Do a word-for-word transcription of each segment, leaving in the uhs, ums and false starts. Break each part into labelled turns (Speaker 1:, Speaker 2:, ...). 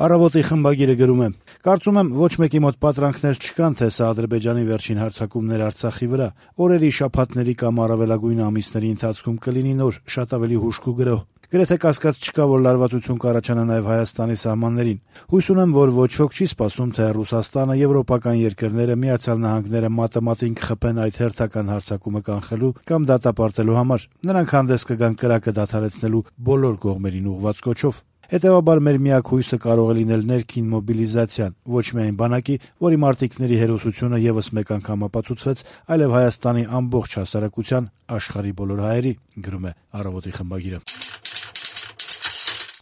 Speaker 1: Առավոտի խմբագիրը գրում է. «Կարծում եմ, ոչ մեկի մոտ պատրանքներ չկան, թե սա Ադրբեջանի վերջին հարձակումներ Արցախի վրա։ Օրերի, շաբաթների կամ առավելագույն ամիսների ընթացքում կլինի նոր, շատ ավելի հուժկ ու գրոհ։ Գրեթե կասկած չկա, որ լարվածություն կառաջանա նաև Հայաստանի սահմաններին։ Հույս ունեմ, որ ոչ ոք չի սպասում, թե Ռուսաստանը, եվրոպական երկրները, Միացյալ Նահանգները մատը մատին կխփեն այդ հերթական հարձակումը կանխելու կամ դատապարտելու համար։ Նրանք հանդես կգան կրակը դադարեցնելու բոլոր կողմերին ուղղված կոչով։ Հետևաբար մեր միակ հույսը կարող է լինել ներքին մոբիլիզացիան, ոչ միայն բանակի, որի մարտիկների հերոսությունը եւս մեկ անգամ ապացուցվեց, այլև Հայաստանի ամբողջ հասարակության, աշխարհի բոլոր հայերի», գրում է «Առավոտի» խմբագիրը։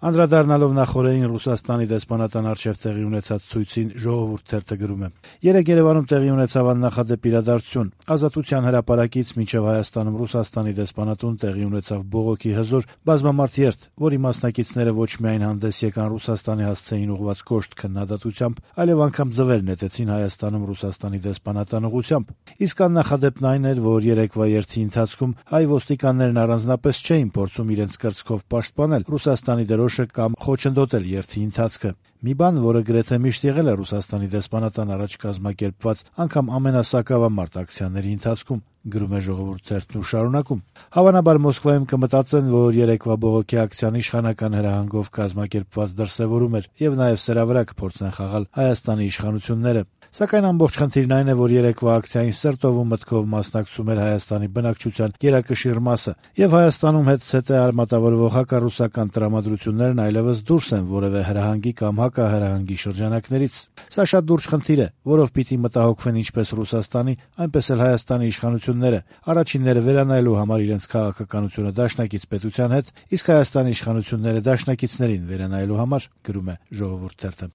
Speaker 1: Անդրադառնալով նախօրեին Ռուսաստանի դեսպանատան առջև տեղի ունեցած ցույցին, «Ժողովուրդ» թերթը գրում է. «Երեկ Երևանում տեղի ունեցավ աննախադեպ իրադարձություն։ Ազատության հրապարակից մինչև Հայաստանում Ռուսաստանի դեսպանատուն տեղի ունեցավ բողոքի հզոր բազմամարդ երթ, որի մասնակիցները ոչ միայն հանդես եկան Ռուսաստանի հասցեին ուղղված կոշտ քննադատությամբ, այլև անգամ ձվեր նետեցին Հայաստանում Ռուսաստանի դեսպանատան ուղղությամբ։ Իսկ աննախադեպն այն էր, որ երեկվա երթի ընթացքում հայ ոստիկաններն առանձնապես չէին փորձում իրենց կրծքով պաշտպանել Ռուսաստանի դրոշը կամ խոչընդոտել երթի ընթացքը։ Մի բան, որը գրեթե միշտ եղել է Ռուսաստանի դեսպանատան առաջ կազմակերպված անգամ ամենասակավամարտ ակցիաների ընթացքում», գրում է «Ժողովուրդ» թերթն ու շարունակում. «Հավանաբար Մոսկվայում կմտածեն, որ երեկվա բողոքի ակցիան իշխանական հրահանգով կազմակերպված դրսևորում էր եւ նաեւ սրա վրա կփորձեն խաղալ Հայաստանի իշխանությունները։ Սակայն ամբողջ խնդիրն այն է, որ երեկվա ակցիային սրտով ու մտքով մասնակցում էր Հայաստանի բնակչության գերակշիռ մասը, եւ Հայաստանում հետզհետե արմատավորվող հակառուսական տրամադրություններն այլևս դուրս են որևէ հրահանգի կամ հակահրահանգի շրջանակներից։ Սա շատ լուրջ խնդիր է, որով պիտի մտահոգվեն ինչպես Ռուսաստանի, այնպես էլ Հայաստանի իշխանությունները, առաջինները վերանայելու համար իրենց քաղաքականությունը դաշնակից պետության հետ, իսկ Հայաստանի իշխանությունները դաշնակիցներին վերանայելու համար», գրում է «Ժողովուրդ» թերթը։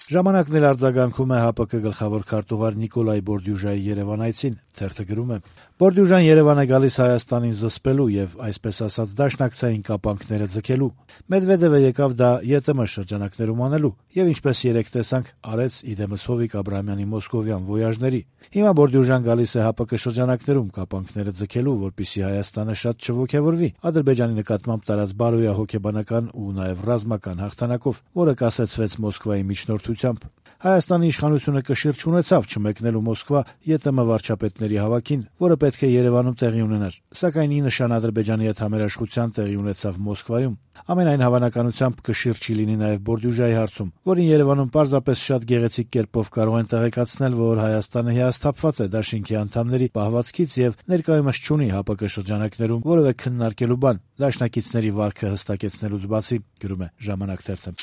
Speaker 1: Ժամանակն էլ արձագանքում է ՀԱՊԿ գլխավոր քարտուղար Նիկոլայ Բորդյուժայի Երևան այցին։ Թերթը գրում է. «Բորդյուժան Երևան է գալիս Հայաստանին զսպելու եւ, այսպես ասած, դաշնակցային կապանքները ձգելու։ Մեդվեդևը եկավ դա ԵՏՄ շրջանակներում անելու եւ, ինչպես երեկ տեսանք, արեց իդեմս Հովիկ Աբրահամյանի մոսկովյան վոյաժների։ Հիմա Բորդյուժան գալիս է ՀԱՊԿ շրջանակներում կապանքները ձգելու, որպեսզի Հայաստանը շատ չոգևորվի Ադրբեջանի նկատմամբ տարած բարոյահոգեբանական ու նաեւ ռազմական հաղթանակով, որը կասեցվեց Մոսկվայի միջնորդությամբ։ Հայաստանի իշխանությունը կշիռ չունեցավ չմեկնելու Մոսկվա ԵՏՄ վարչապետների հավաքին, որը պետք է Երևանում տեղի ունենար, սակայն ի նշան Ադրբեջանի հետ համերաշխության տեղի ունեցավ Մոսկվայում։ Ամենայն հավանականությամբ կշիռ չի լինի նաև Բորդյուժայի հարցում, որին Երևանում պարզապես շատ գեղեցիկ կերպով կարող են տեղեկացնել, որ Հայաստանը հիասթափված է դաշինքի անդամների պահվածքից եւ ներկայումս չունի ՀԱՊԿ շրջանակներում որևէ քննարկելու բան, դաշնակիցների վարքը հստակեցնելուց բացի, գրում է «Ժամանակ» թերթը։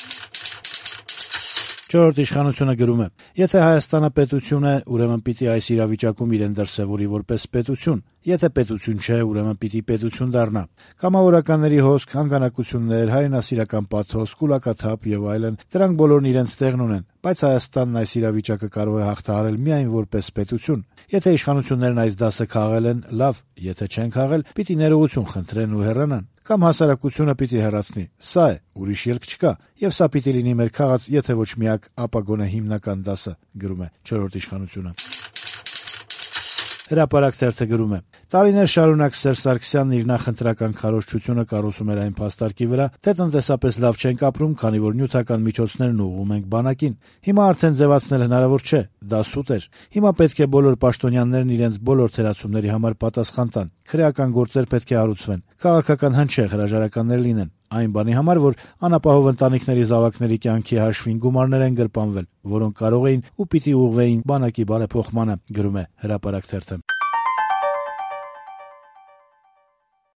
Speaker 1: Չորրորդ իշխանությունը գրում է. «Եթե Հայաստանը պետություն է, ուրեմն պիտի այս իրավիճակում իրեն դրսևորի որպես պետություն, եթե պետություն չէ, ուրեմն պիտի պետություն դառնա։ Կամավորականների հոսք, հանգանակություններ, հայրենասիրական պաթոս, կուլակաթափ եւ այլն, դրանք բոլորն իրենց տեղն ունեն, բայց Հայաստանն այս իրավիճակը կարող է հաղթահարել միայն որպես պետություն։ Եթե իշխանություններն այս դասը քաղել են, լավ, եթե չեն քաղել, պիտի ներողություն խնդրեն ու հեռանան, կամ հասարակությունը պիտի հեռացնի։ Սա է, ուրիշ ելք չկա, եւ սա պիտի լինի մեր քաղաց, եթե ոչ միակ, ապա գոնե հիմնական դասը», գրում է չորրորդ իշխանությունը։ Հրապարակ թերթը գրում է. «Տարիներ շարունակ Սերժ Սարգսյանն իր նախընտրական քարոզչությունը կառուցում էր այն փաստարկի վրա, թե տնտեսապես լավ չենք ապրում, քանի որ նյութական միջոցներն ուղղում ենք բանակին։ Հիմա արդեն ձևացնել հնարավոր չէ, դա սուտ էր։ Հիմա պետք է բոլոր պաշտոնյաներն իրենց բոլոր թերացումների համար պատասխան տան։ Քրեական գործեր պետք է հարուցվեն, քաղաքական հնչեղ հրաժարականներ լինեն, այն բանի համար, որ անապահով ընտանիքների զավակների կյանքի հաշվին գումարներ են գրպանվել, որոնք կարող էին ու պիտի ուղղվեին բանակի բարեփոխմանը», գրում է Հրապարակ թերթը։